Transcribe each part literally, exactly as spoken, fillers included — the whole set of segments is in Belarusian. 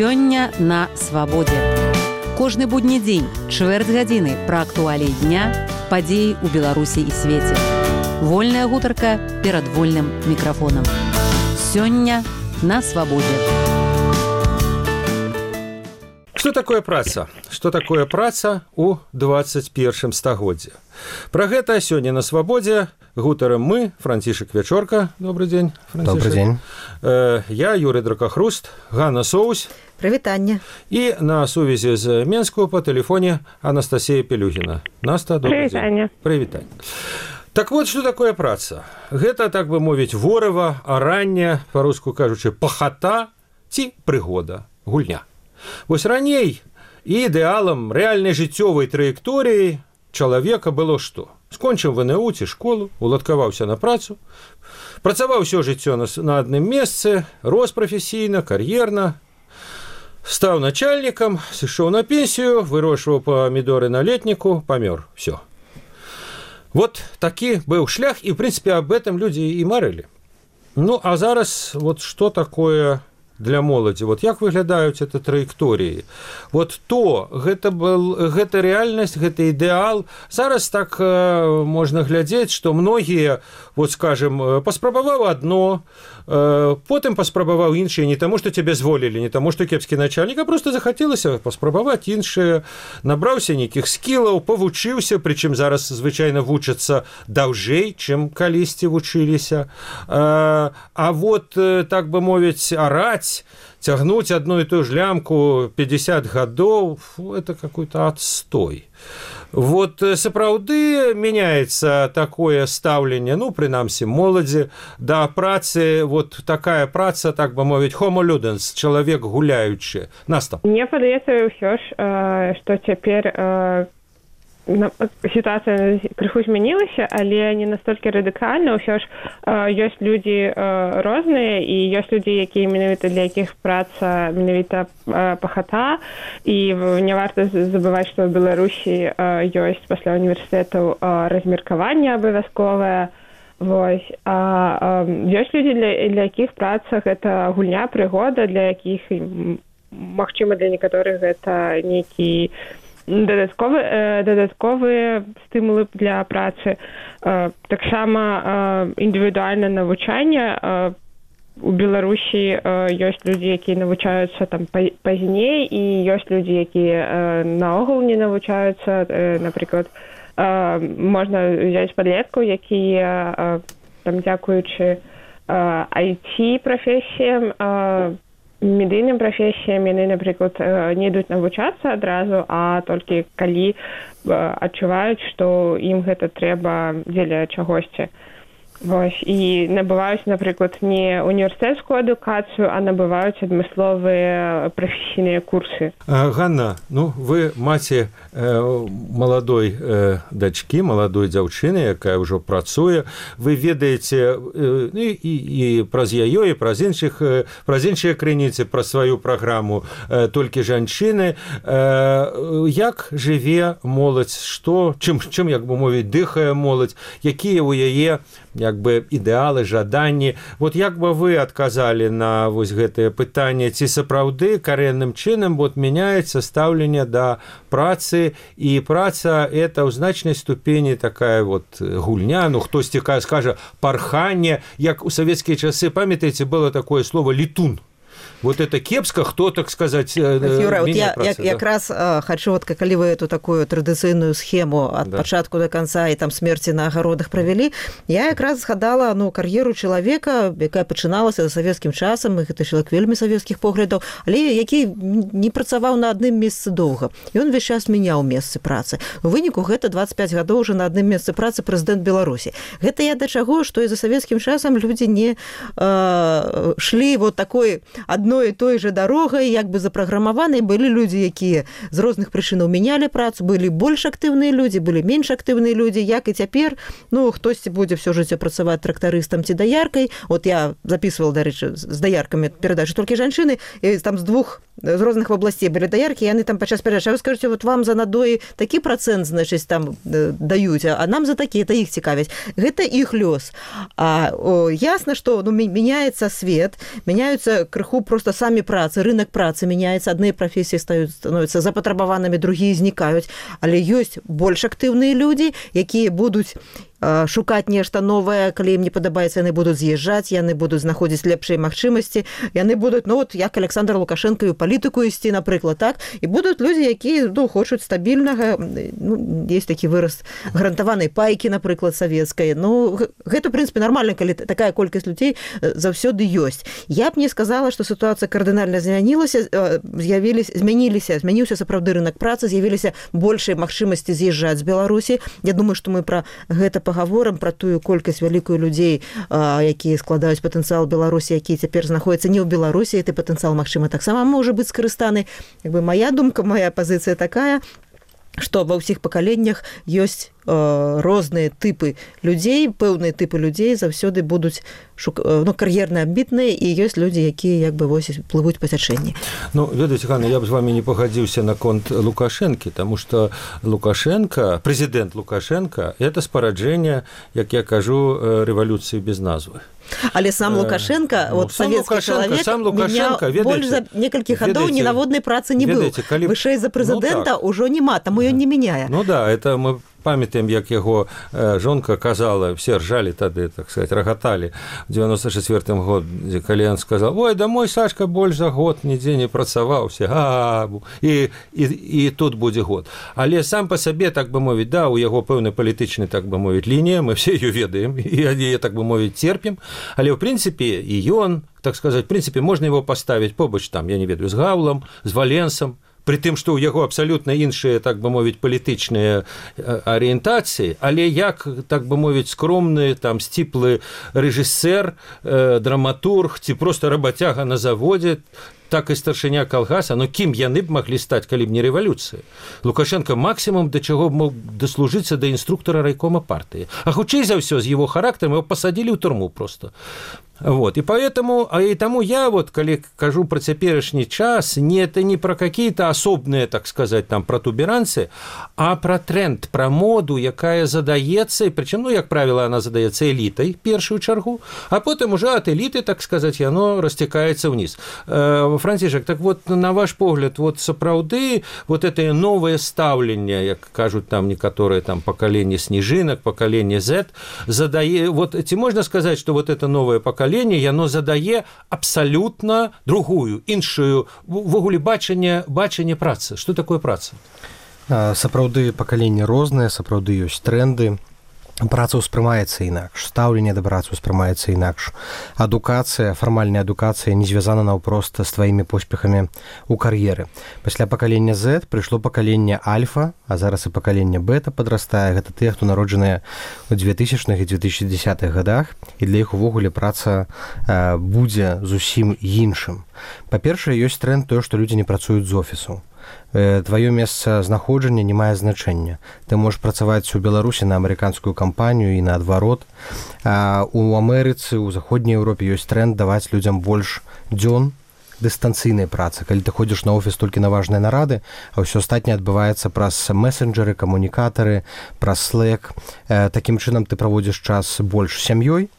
Сёння на свабодзе. Кожны будні дзень, чвэрць гадзіны пра актуаліі дня, падзеі ў Беларусі і свеце. Вольная гутарка перад вольным мікрафонам. Сёння на свабодзе. Што такое праца? Што такое праца ў дваццаць першым стагоддзі? Пра гэта сёння на свабодзе гутарым мы, Францішак Вячорка. Добрый дзень, Францішак. Добрый дзень. Э, я, Юрий Дракахруст, Ганна Соус. Прывітанне. І на сувязі з Менску па тэлефоне Анастасія Пелюгіна. Наста, добрый дзень. Прывітанне. Так вот, што такое праца? Гэта, так бы мовіць, ворыва, аранне, па-руску кажучы, пахата ці прыгода, гульня. Вось раней ідэалам рэальнай жыццёвай траекторыі чалавека было што? Скончыў вэ эн у ці школу, уладкаваўся на працу, працаваў усё жыццё на, на адным месцы, рос прафесійна, кар'ерна, стаў начальнікам, сышоў на пенсію, вырошваў памідоры на летніку, памёр. Всё. Вот такі быў шлях, і, в прынцыпе, аб этом людзі і марылі. Ну, а зараз вот што такое для моладзі? Вот як выглядаюць это траекторыі? Вот то, гэта, был, гэта рэальнасць, гэта ідэал. Зараз так э, можна глядзець, што многія, вот скажем, паспрабаваў адно, э, потым паспрабаваў іншае, не таму, што цябе зволілі, не таму, што кепскі начальнік, а проста захацелася паспрабаваць іншае, набраўся нейкіх скілаў, павучыўся, прычым зараз звычайна вучацца даўжэй, чым калісьці вучыліся. Э, а вот, э, так бы мовіць, араць, тягнуть одну и ту же лямку пятьдесят гадоў, это какой-то отстой. Вот сапраўды меняется такое стаўленне, ну, прынамсі, моладзі да працы, вот такая праца, так бы мовіць, homo ludens, чалавек гуляючы. Наста. Мне падаецца ўсё ж, што цяпер сітуацыя крыху змянілася, але не настолькі радыкальна. Ўсё ж ёсць людзі розныя, і ёсць людзі, якія менавіта для якіх праца менавіта пахата, і не варта забываць, што ў Беларусі ёсць пасля універсітэтаў размеркаванне абавязковае. Вось. А ёсць людзі, для, для якіх праца гэта гульня, прыгода, для якіх, магчыма, для некаторых гэта нейкі дадатковы, дадатковыя стымулы для працы. Таксама індывідуальнае навучанне. У Беларусі ёсць людзі, якія навучаюцца там пазней, і ёсць людзі, якія наогул не навучаюцца. Напрыклад, можна взяць падлеткаў, якія там, дзякуючы ай ти-прафесіям, медыйным прафесіям, яны, напрыклад, не ідуць навучацца адразу, а толькі калі адчуваюць, што ім гэта трэба дзеля чагосьці. Вось. І набываюць, напрыклад, не універсітэцкую адукацыю, а набываюць адмысловыя прафесійныя курсы. Ганна, ну, вы маці э, маладой э, дачкі, маладой дзяўчыны, якая ўжо працуе. Вы ведаеце э, і, і праз яё, і праз іншых, э, праз іншыя крыніцы, пра сваю праграму э, толькі жанчыны. Э, як жыве моладзь? Што, чым, чым, як бы мовіць, дыхае моладзь? Якія ў яе як бы ідэалы, жаданні? Вот як бы вы адказалі на вось гэтае пытанне, ці сапраўды карэнным чынам вот мяняецца стаўленне да працы, і праца это ў значнай ступені такая вот гульня, ну хтосьці скажа парханне, як у савецкія часы, памятаеце, было такое слово летун. Вот это кепска, хто, так сказать, Юра, вот я, працы, я да? якраз э, хочу, вот, калі вы эту такую традыцыйную схему ад да. пачатку до конца і там смерці на агародах правялі, я якраз згадала, ну, кар'еру чалавека, якая пачыналася за савецкім часам, і гэта чалавек вельмі савецкіх поглядаў, але які не працаваў на адным месцы доўга. Ён увесь час мяняў месцы працы. У выніку гэта дваццаць пяць гадоў уже на адным месцы працы прэзідэнт Беларусі. Гэта я да чаго, што і за савецкім часам людзі не э, шлі вот такой адной і той же дарогай, як бы запраграмаваныя. Былі людзі, якія з розных прычынаў мянялі працу, былі больш актыўныя людзі, былі менш актыўныя людзі, як і цяпер. Ну, хтосьці будзе ўсё жыццё працаваць трактарыстам ці даяркай. Вот я записывала, дарэчы, з даяркамі перадачы толькі жанчыны, і там з двух з розных областей былі даяркі, яны там падчас перадачы, а вы скажаце, вот вам за надоі такі працэнт, значыць, там даюць, а нам за такі, это іх цікавяць. Гэта іх лёс. А о, ясна, што ну, мяняецца свет, мяняюцца крыху чаргу просто самі працы, рынок працы мяняецца, адныя прафесіі стаюць, становяцца запатрабаванымі, другія знікаюць, але ёсць больш актыўныя людзі, якія будуць шукаць нешта новае, калі ім не падабаецца, яны будуць з'язджаць, яны будуць знаходзіць лепшыя магчымасці, яны будуць, ну вот як Александр Лукашенко і ў палітыку ісці, напрыклад, так, і будуць людзі, якія, ну, хочуць стабільнага, ну, есть такі выраз гарантаванай пайкі, напрыклад, савецкай. Ну, гэта, в прынцыпе, нармальна, калі такая колькасць людзей заўсёды ёсць. Я б не сказала, што сітуацыя кардынальна змянілася, з'явіліся, змяніліся, змяніўся сапраўды рынок працы, з'явіліся большыя магчымасці з'язджаць з Беларусі. Я думаю, што мы пра гэта пагаворам, пра тую колькасць вялікую людзей, якія складаюць патэнцыял Беларусі, якія цяпер знаходзяцца не ў Беларусі, гэты патэнцыял, магчыма, таксама можа быць скарыстаны. Як бы моя думка, моя пазіцыя такая, што ва ўсіх пакаленнях ёсць э, розныя тыпы людзей, пэўныя тыпы людзей заўсёды будуць шук... ну, кар'ерна амбітныя, і ёсць людзі, якія як бы вось плывуць па цячэнні. Ну, ведаеце, Ганна, я б з вами не пагадзіўся наконт Лукашэнкі, таму што Лукашенко, прэзідэнт Лукашенко, это спараджэнне, як я кажу, рэвалюцыі без назвы. Але сам Лукашенко, ну, вот савецкі чалавек, ведаеце, больш за некалькі гадоў ненаводнай працы не быў. Калі... Вышэй за прэзідэнта ну, ўжо няма, таму ён не мяняе. Ну да, это мы памятаем, як яго жонка казала, все ржали тады, так сказать, рагаталі в девяносто четвёртым годзе, калі ён сказал: ой, да мой Сашка больш за год нідзе не працаваўся, а і, і, і тут будзе год. Але сам па сабе, так бы мовіць, да, у яго пэўны палітычны, так бы мовіць, лінія, мы все ее ведаем, і яе, так бы мовіць, терпім, але, в прынцыпе, і ён, так сказать, в прынцыпе, можна его поставіць побач там, я не ведаю, з Гаўлам, з Валенсам, при тым, што ў яго абсалютна іншыя, так бы мовіць, палітычныя арыентацыі, але як, так бы мовіць, скромны, там, сціплы рэжысэр, э, драматург, ці проста работяга на заводзе, так і старшыня калгаса, но кім яны б маглі стаць, калі б не рэвалюцыя? Лукашенко максімум да чаго мог даслужыцца да інструктара райкома партыі. А хутчэй за ўсё, з его характаром его посадили ў турму просто. Вот. И поэтому, а и тому я вот, коли кажу про цяперашні час, не, это не про какие-то особные, так сказать, там, протуберанцы, а про тренд, про моду, якая задаецца, и причем, ну, як правило, она задаецца элитой, першую чаргу, а потом уже от элиты, так сказать, оно растекается вниз. Францішак, так вот, на ваш погляд, вот сапраўды, вот это новое ставленне, як кажут там некоторые там поколение снежинок, поколение Z, задае, вот, ці можно сказать, что вот это новое поколение, яно задае абсалютна другую, іншую ввогуле бачанне, бачанне працы. Што такое праца? Сапраўды пакаленне рознае, сапраўды ёсць тренды. Праца ўспрымаецца інакш, стаўленне да працы ўспрымаецца інакш. Адукацыя, фармальная адукацыя не звязана наўпрост з тваімі поспехамі ў кар'еры. Пасля пакалення Z прыйшло пакаленне альфа, а зараз і пакаленне бета падрастае. Гэта тыя, хто народжаныя ў двухтысячных і две тысячи десятых годах, і для іх увогуле праца э, будзе зусім іншым. Па-першае, ёсць тренд тое, што людзі не працуюць з офісу. Твоё месца знаходжання не мае значэння. Ты можаш працаваць у Беларусі на амерыканскую кампанію і наадварот. У Амерыцы, у заходняй Еўропе ёсць тренд даваць людзям больш дзён дыстанцыйнай працы, калі ты ходзіш на офіс толькі на важныя нарады, а ўсё астатняе адбываецца праз месенджеры, камунікатары, праз Slack. Такім чынам ты праводзіш час больш з сям'ёй,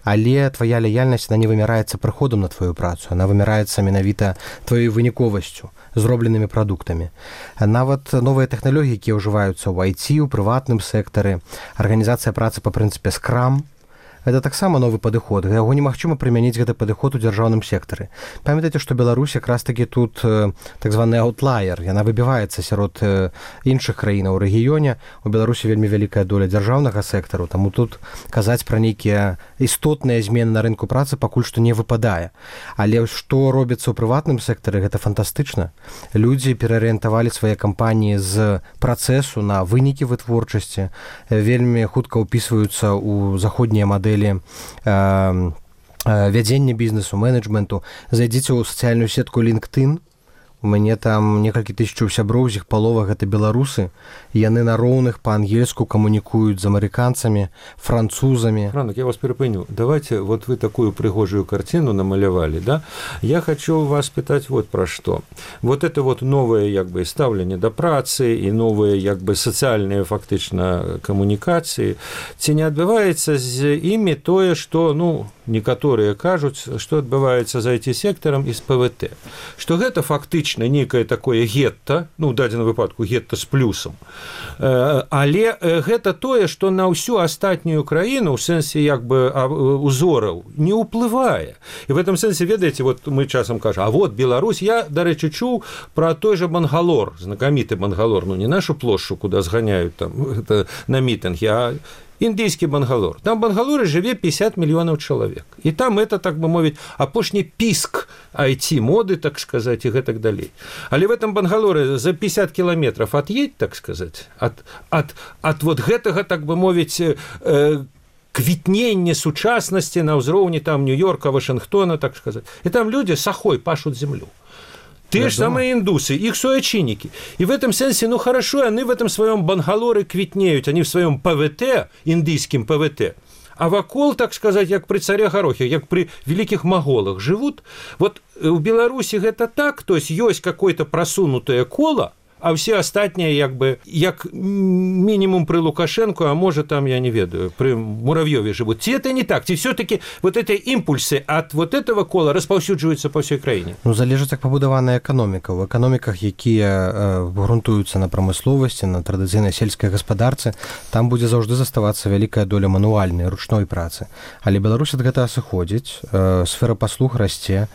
але твоя лаяльнасць, она не вымяраецца прыходам на твою працу, она вымяраецца менавіта твоей выніковасцю, зробленымі прадуктамі. Нават новыя тэхналогіі, якія ўжываюцца ў ай ти, у прыватным сектары, арганізацыя працы па прынцыпе Scrum, гэта таксама новы падыход. Яго немагчыма прымяніць гэты падыход у дзяржаўным сектары. Памятайце, што Беларусь якраз такі тут так званы аутлайер, яна выбіваецца сярод іншых краінаў у рэгіёне. У Беларусі вельмі вялікая доля дзяржаўнага сектару, таму тут казаць пра нейкія істотныя змены на рынку працы пакуль што не выпадае. Але што робіцца ў прыватным сектары, гэта фантастычна. Людзі пераарыентавалі свае кампаніі з працэсу на вынікі вытворчасці, вельмі хутка ўпісваюцца ў заходнія мадэлі вядзення бізнесу, менеджменту. Зайдзіце ў сацыяльную сетку LinkedIn. У мяне там некалькі тысячаў сяброў, з іх палова гэта беларусы. Яны на роўных па-ангельску камунікуюць з амерыканцамі, французамі. Франк, я вас перапыню. Давайте, вот вы такую пригожую картину намалявали, да? Я хочу вас пытать вот про что. Вот это вот новое, як бы, ставленне да працы і новые, як бы, сацыяльныя фактычна камунікацыі. Ці не адбываецца з імі тое, што, ну, некаторыя кажуць, што адбываецца за айти сектарам і з ПВТ, што гэта фактычна нейкае такое гетта, ну, у дадзеным выпадку гетта з плюсам, але гэта тое, што на ўсю астатнюю краіну ў сэнсе як бы узораў не ўплывае. І в этом сэнсе, ведаеце, вот мы часам кажам, а вот Беларусь, я, дарэчы, чуў пра той же Мангалор, знакаміты Мангалор, ну, не нашу плошчу, куда зганяюць там на мітынгі, а індыйскі Бангалор. Там в Бангалоры жыве пятьдесят мільёнаў чалавек. І там это, так бы мовіць, апошні піск айти-моды, так сказаць, і гэтак далей. Але в этом Бангалоре за пятьдесят кіламетраў ад'едь, так сказаць, ад, ад, ад вот гэтага, так бы мовіць, э, квітнення сучаснасці на ўзроўні там Нью-Йорка, Вашингтона, так сказаць. І там люди сахой пашут землю. Те же самые индусы, их суячинники. И в этом сенсе, ну хорошо, они в этом своем Бангалоре квитнеют, они в своем ПВТ, индийским ПВТ, а вокол, так сказать, как при царе Горохе, как при великих моголах живут. Вот в Беларуси это так, то есть есть какое-то просунутое коло, а все астатнія як бы як мінімум при Лукашенко, а може там, я не ведаю, при Муравьеве живут. Ці это не так, ці все-таки вот эти импульсы от вот этого кола распаўсюджваюцца по всей краіне. Ну, залежыць, як пабудаваная эканоміка. У эканоміках, якія грунтуюцца на прамысловасці, на традыцыйнай сельскай гаспадарцы, там будзе заўжды заставацца вялікая доля мануальнай, ручной працы. Але Беларусь ад гэтага сыходзіць, сфера паслуг расце,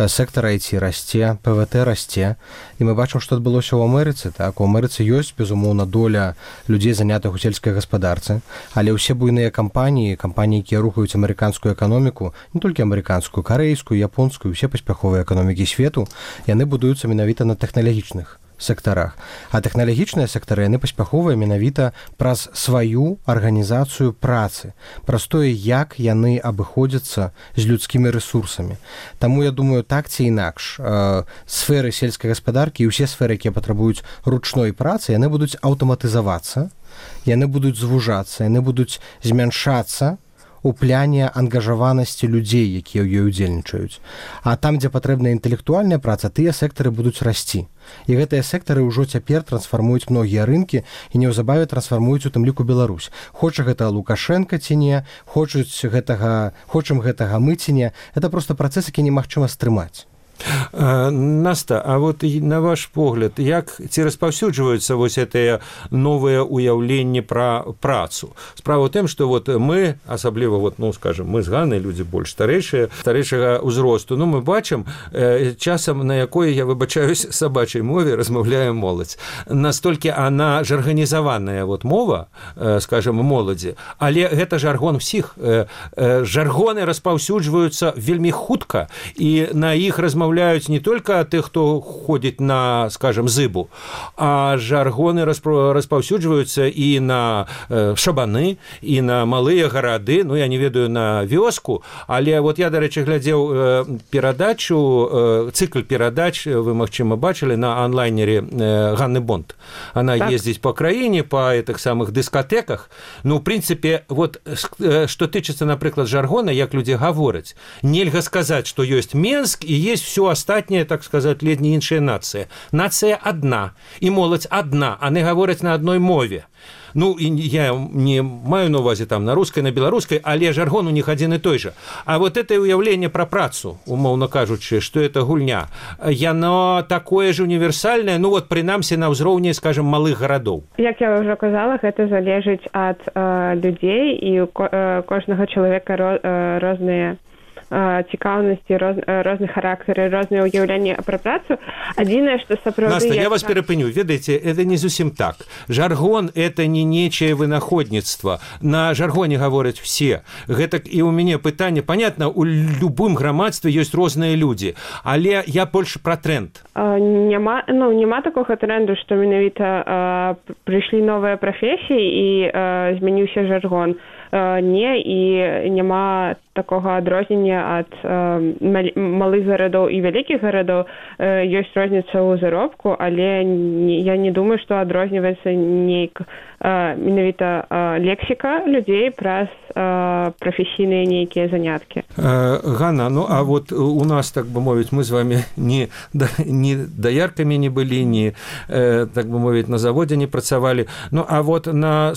сектор айти расце, ПВТ расце, і мы бачым, што адбылося ў Амерыцы. Так, у Амерыцы ёсць, безумоўна, доля людзей, занятых у сельскай гаспадарцы, але ўсе буйныя кампаніі, кампаніі, якія рухаюць амерыканскую эканоміку, не толькі амерыканскую, карэйскую, японскую, усе паспяховыя эканомікі свету, яны будуюцца менавіта на тэхналагічных сектарах. А тэхналагічныя сектары, яны паспяховыя менавіта праз сваю арганізацыю працы, праз тое, як яны абыходзяцца з людскімі рэсурсамі. Таму, я думаю, так ці інакш, э, сферы сельскай гаспадаркі і ўсе сферы, якія патрабуюць ручной працы, яны будуць аўтаматызавацца, яны будуць звужацца, яны будуць змяншацца у пляне ангажаванасці людзей, якія ў ёй удзельнічаюць. А там, дзе патрэбная інтэлектуальная праца, тыя сектары будуць расці. І гэтыя сектары ўжо цяпер трансфармуюць многія рынкі і неўзабаве трансфармуюць у тым ліку Беларусь. Хоча гэта Лукашенко ці не, хочуць гэтага, хочам гэтага мы ці не. Гэта проста працэс, які немагчыма стрымаць. Наста, а вот на ваш погляд, як ці распаўсюджваюцца вось гэтыя новыя ўяўленні пра працу? Справа ў тым, што вот мы, асабліва вот, ну, скажем, мы з Ганнай, людзі больш старэйшыя, старэйшага ўзросту, ну, мы бачым э, часам, на якой, я выбачаюсь, сабачай мове размаўляе моладзь. Настолькі она жарганізаваная вот мова, э, скажем, моладзі, але гэта жаргон всіх. Э, э, жаргоны распаўсюджваюцца вельмі хутка, і на іх размаўляюць размаўляюць не только тых, хто ходзіць на, скажем, зыбу, а жаргоны распаўсюджваюцца і на шабаны, і на малыя гарады, ну, я не ведаю, на вёску, але вот я, дарэчы, глядзеў перадачу, цикл перадач, вы, магчыма, бачылі на онлайнере Ганны Бонд. Она так ездзіць по краіне, по этих самых дыскатэках. Ну, в принципе, вот, што тычыцца, напрыклад, жаргона, як людзі гавораць, нельга сказаць, што ёсць Менск і есть все астатнее, так сказать, ледні іншая нацыя. Нацыя адна, і моладзь адна, а не гавораць на адной мове. Ну, і я не маю на увазе там на рускай, на беларускай, але жаргон у них адзін і той же. А вот это ўяўленне пра працу, умоўна кажучы, што это гульня, яно такое ж універсальнае, ну вот прынамсі на ўзроўні, скажем, малых гарадоў. Як я ўжо казала, гэта залежыць ад э, людзей, і у э, кожнага чалавека ро, э, розныя цікаўнасці, роз, розны характары, розныя ўяўленні пра працу. Адзінае, што сапраўды... Наста, я, я вас перапыню. Ведаеце, это не зусім так. Жаргон – это не нечае вынаходніцтва. На жаргоне гавораць все. Гэта і ў мяне пытанне. Понятно, у любым грамадстве ёсць розныя людзі, але я больш пра тренд. А, няма, ну, няма такога тренду, што менавіта прыйшлі новыя прафесіі і а, змяніўся жаргон. А, не, і няма такога адрознення ад э, малых гарадоў і вялікіх гарадоў. Э, ёсць розніца ў заробку, але не, я не думаю, што адрозніваецца нейк э, менавіта э, лексіка людзей праз э, прафесійныя нейкія заняткі. Э, Ганна, ну а вот у нас, так бы мовіць, мы з вами не, да, не даяркамі не былі, не, э, так бы мовіць, на заводзе не працавалі. Ну а вот на